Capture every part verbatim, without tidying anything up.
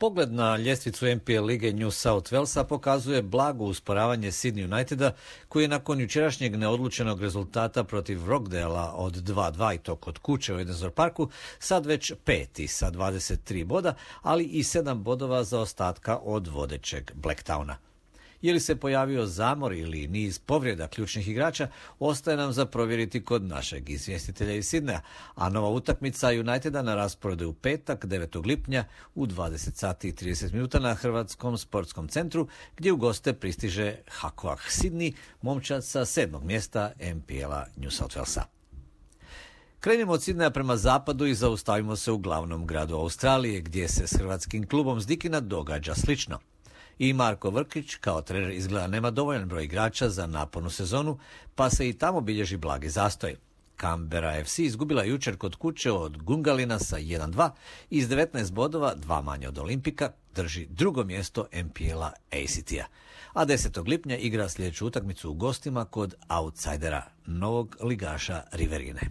Pogled na ljestvicu N P L lige New South Walesa pokazuje blago usporavanje Sydney Uniteda, koji je nakon jučerašnjeg neodlučenog rezultata protiv Rockdalea od dva dva i to kod kuće u Edensor Parku, sad već peti sa dvadeset tri boda, ali i sedam bodova za ostatka od vodećeg Blacktowna. Je li se pojavio zamor ili niz povrijeda ključnih igrača, ostaje nam za provjeriti kod našeg izvjestitelja iz Sidneja, a nova utakmica Uniteda na rasporedu u petak, devetog lipnja u dvadeset sati i trideset minuta na Hrvatskom sportskom centru, gdje u goste pristiže Hakoah Sydney, momčad sa sedmog mjesta N P L-a New South Walesa. Krenimo od Sidneja prema zapadu i zaustavimo se u glavnom gradu Australije, gdje se s hrvatskim klubom Zdikina događa slično. I Marko Vrkić kao trener izgleda nema dovoljan broj igrača za napornu sezonu, pa se i tamo bilježi blagi zastoj. Canberra F C izgubila jučer kod kuće od Gungalina sa jedan dva i iz devetnaest bodova, dva manje od Olimpika, drži drugo mjesto N P L-a A C T-a. A desetog lipnja igra sljedeću utakmicu u gostima kod outsidera, novog ligaša Riverine.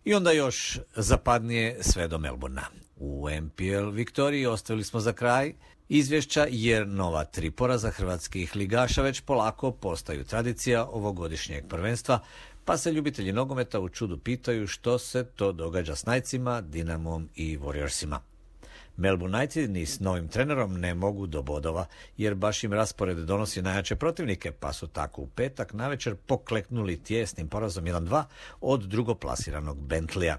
I onda još zapadnije sve do Melbourna. U N P L Viktoriji ostavili smo za kraj izvješća, jer nova tri poraza hrvatskih ligaša već polako postaju tradicija ovogodišnjeg prvenstva, pa se ljubitelji nogometa u čudu pitaju što se to događa s Knightsima, Dinamom i Warriorsima. Melbourne United ni s novim trenerom ne mogu do bodova, jer baš im raspored donosi najjače protivnike, pa su tako u petak navečer pokleknuli tjesnim porazom jedan dva od drugoplasiranog Bentleya.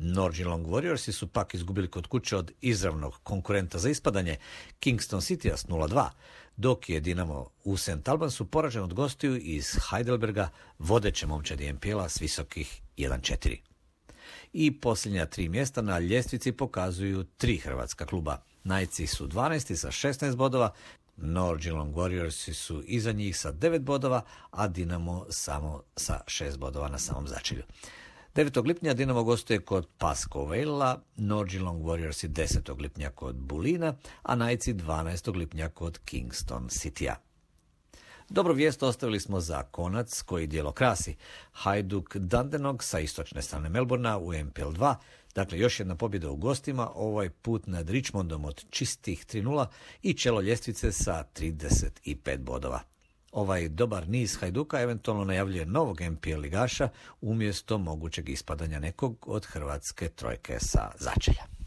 Northern Warriorsi su pak izgubili kod kuće od izravnog konkurenta za ispadanje Kingston City-a s nula dva, dok je Dinamo u Saint Albansu poražen od gostiju iz Heidelberga, vodeće momčadi N P L-a s visokih jedan četiri. I posljednja tri mjesta na ljestvici pokazuju tri hrvatska kluba. Knightsi su dvanaesti sa šesnaest bodova, Northern Warriorsi su iza njih sa devet bodova, a Dinamo samo sa šest bodova na samom začelju. devetog lipnja Dinamo gostuje kod Pasco Vale-a, Northern Warriorsi desetog lipnja kod Bulina, a Knightsi dvanaestog lipnja kod Kingston City-a. Dobro vijest ostavili smo za konac koji dijelo krasi. Hajduk Dandenong sa istočne strane Melbourna u N P L dva, dakle još jedna pobjeda u gostima, ovaj put nad Richmondom od čistih tri nula i čelo ljestvice sa trideset pet bodova. Ovaj dobar niz Hajduka eventualno najavljuje novog N P L ligaša umjesto mogućeg ispadanja nekog od hrvatske trojke sa začelja.